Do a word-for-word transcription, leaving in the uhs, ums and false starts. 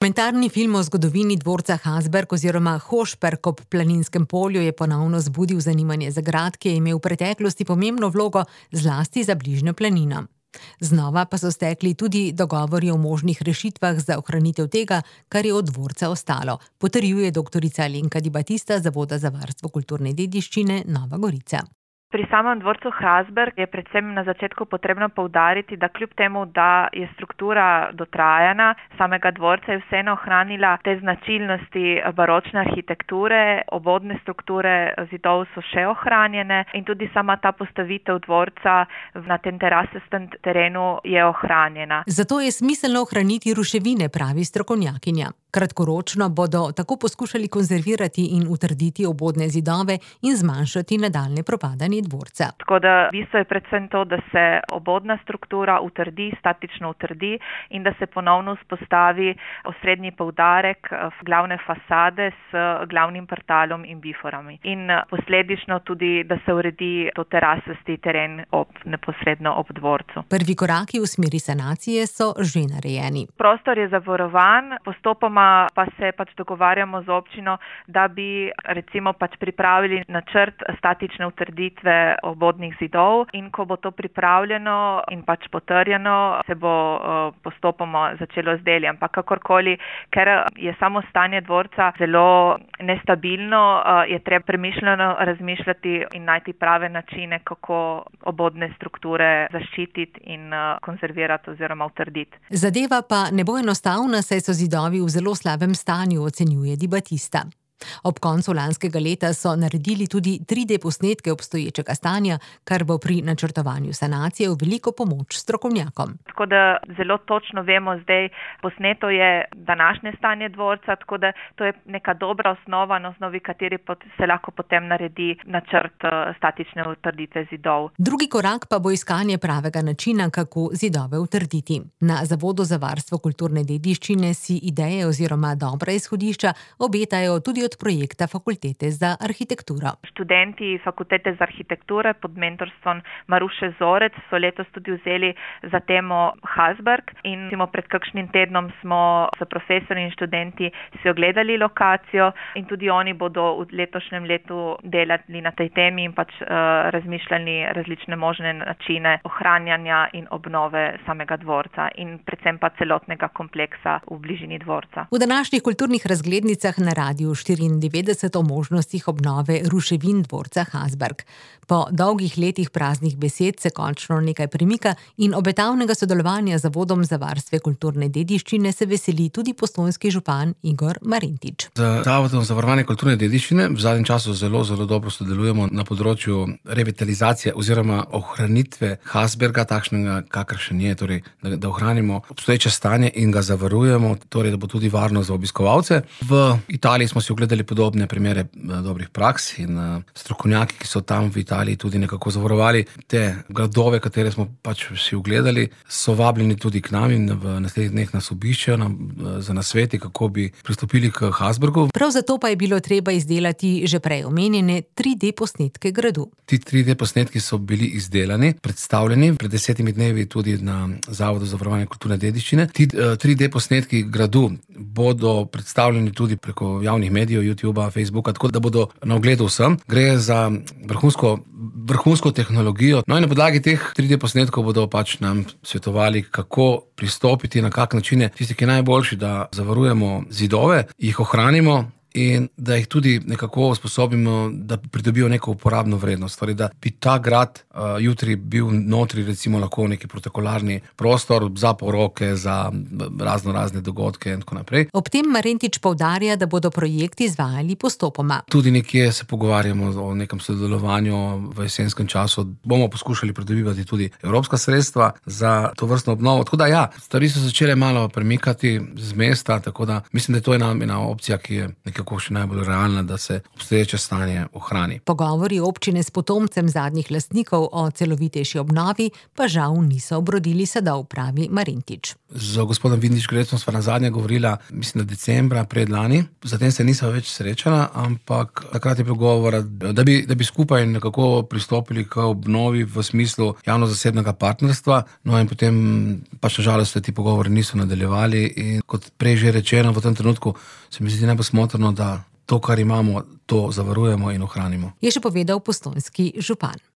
Dokumentarni film o zgodovini dvorca Hasberg oziroma Hošperk ob Planinskem polju je ponovno zbudil zanimanje za grad, ki je imel v preteklosti pomembno vlogo zlasti za bližnjo planino. Znova pa so stekli tudi dogovori o možnih rešitvah za ohranitev tega, kar je od dvorca ostalo, potrjuje doktorica Alenka Di Battista z Zavoda za varstvo kulturne dediščine Nova Gorica. Pri samem dvorcu Hasberg je predvsem na začetku potrebno poudariti, da kljub temu, da je struktura dotrajana, samega dvorca je vseeno ohranila te značilnosti baročne arhitekture, obodne strukture zidov so še ohranjene in tudi sama ta postavitev dvorca na tem terasastem terenu je ohranjena. Zato je smiselno ohraniti ruševine, pravi strokovnjakinja. Kratkoročno bodo tako poskušali konzervirati in utrditi obodne zidove in zmanjšati nadaljnje propadanje dvorca. Tako da v bistvu je predvsem to, da se obodna struktura utrdi, statično utrdi in da se ponovno vzpostavi osrednji poudarek glavne fasade s glavnim portalom in biforami. In posledično tudi, da se uredi to terasasti teren ob, neposredno ob dvorcu. Prvi koraki v smeri sanacije so že narejeni. Prostor je zavarovan, postopoma pa se pač dogovarjamo z občino, da bi recimo pač pripravili načrt statične utrditve obodnih zidov in ko bo to pripravljeno in pač potrjeno, se bo postopoma začelo z deli. Ampak kakorkoli, ker je samo stanje dvorca zelo nestabilno, je treba premišljeno razmišljati in najti prave načine, kako obodne strukture zaščititi in konzervirati oziroma utrditi. Zadeva pa ne bo enostavna, saj so zidovi v zelo v slabem stanju, ocenjuje Di Battista. Ob koncu lanskega leta so naredili tudi tri D posnetke obstoječega stanja, kar bo pri načrtovanju sanacije v veliko pomoč strokovnjakom. Tako da zelo točno vemo zdaj, posneto je današnje stanje dvorca, tako da to je neka dobra osnova, na osnovi kateri se lahko potem naredi načrt statične utrditve zidov. Drugi korak pa bo iskanje pravega načina, kako zidove utrditi. Na Zavodu za varstvo kulturne dediščine si ideje oziroma dobra izhodišča obetajo tudi od projekta Fakultete za arhitekturo. Študenti Fakultete za arhitekturo pod mentorstvom Maruše Zorec so letos tudi vzeli za temo Hasberg in pred kakšnim tednom smo s profesorji in študenti si ogledali lokacijo in tudi oni bodo v letošnjem letu delali na tej temi in pač uh, razmišljali različne možne načine ohranjanja in obnove samega dvorca in predvsem pa celotnega kompleksa v bližini dvorca. V današnjih kulturnih razglednicah na Radiu štiriindevetdeset o možnostih obnove ruševin dvorca Hasberg. Po dolgih letih praznih besed se končno nekaj premika in obetavnega sodelovanja z Zavodom za varstvo kulturne dediščine se veseli tudi postojnski župan Igor Marentič. Z Zavodom za varovanje kulturne dediščine v zadnjem času zelo, zelo dobro sodelujemo na področju revitalizacije oziroma ohranitve Hasberga, takšnega, kakršen je, torej, da, da ohranimo obstoječe stanje in ga zavarujemo, torej, da bo tudi varno za obiskovalce. V Italiji smo si ogledali podobne primere dobrih praks in strokovnjaki, ki so tam v Italiji tudi nekako zavarovali te gradove, katere smo pač si ogledali, so vabljeni tudi k nam in v naslednjih dneh nas obiščejo na, za nasveti, kako bi pristopili k Hasbergu. Prav zato pa je bilo treba izdelati že prej omenjene tri D posnetke gradu. Ti tri D posnetki so bili izdelani, predstavljeni pred desetimi dnevi tudi na Zavodu za varovanje kulturne dediščine. Ti tri D posnetki gradu bodo predstavljeni tudi preko javnih medijev, YouTubea, Facebooka, tako da bodo na ogledu vsem. Gre za vrhunsko, vrhunsko tehnologijo. No in na podlagi teh tri D posnetkov bodo pač nam svetovali, kako pristopiti, na kak način je tisti, ki je najboljši, da zavarujemo zidove, jih ohranimo in da jih tudi nekako usposobimo, da pridobijo neko uporabno vrednost. Torej, da bi ta grad uh, jutri bil notri recimo lahko neki protokolarni prostor za poroke, za razno razne dogodke in tako naprej. Ob tem Marentič poudarja, da bodo projekti izvajali postopoma. Tudi nekje se pogovarjamo o nekem sodelovanju v jesenskem času. Bomo poskušali pridobivati tudi evropska sredstva za to vrstno obnovo. Tako da ja, stvari so začele malo premikati z mesta, tako da mislim, da to je ena, ena opcija, ki je nekje kako še najbolj realna, da se obstoječe stanje ohrani. Pogovori občine s potomcem zadnjih lastnikov o celovitejši obnovi pa žal niso obrodili sadov, pravi Marintič. Z gospodom Vindiš-Grecom sva nazadnje govorila, mislim, da decembra predlani. Zatem se nisva več srečala, ampak takrat je bilo govora, da bi, da bi skupaj nekako pristopili k obnovi v smislu javno-zasebnega partnerstva. No in potem pač na žalost se ti pogovori niso nadaljevali in kot prej že rečeno, v tem trenutku se mi zdi najbolj smotrno, da to, kar imamo, to zavarujemo in ohranimo. Je še povedal postojnski župan.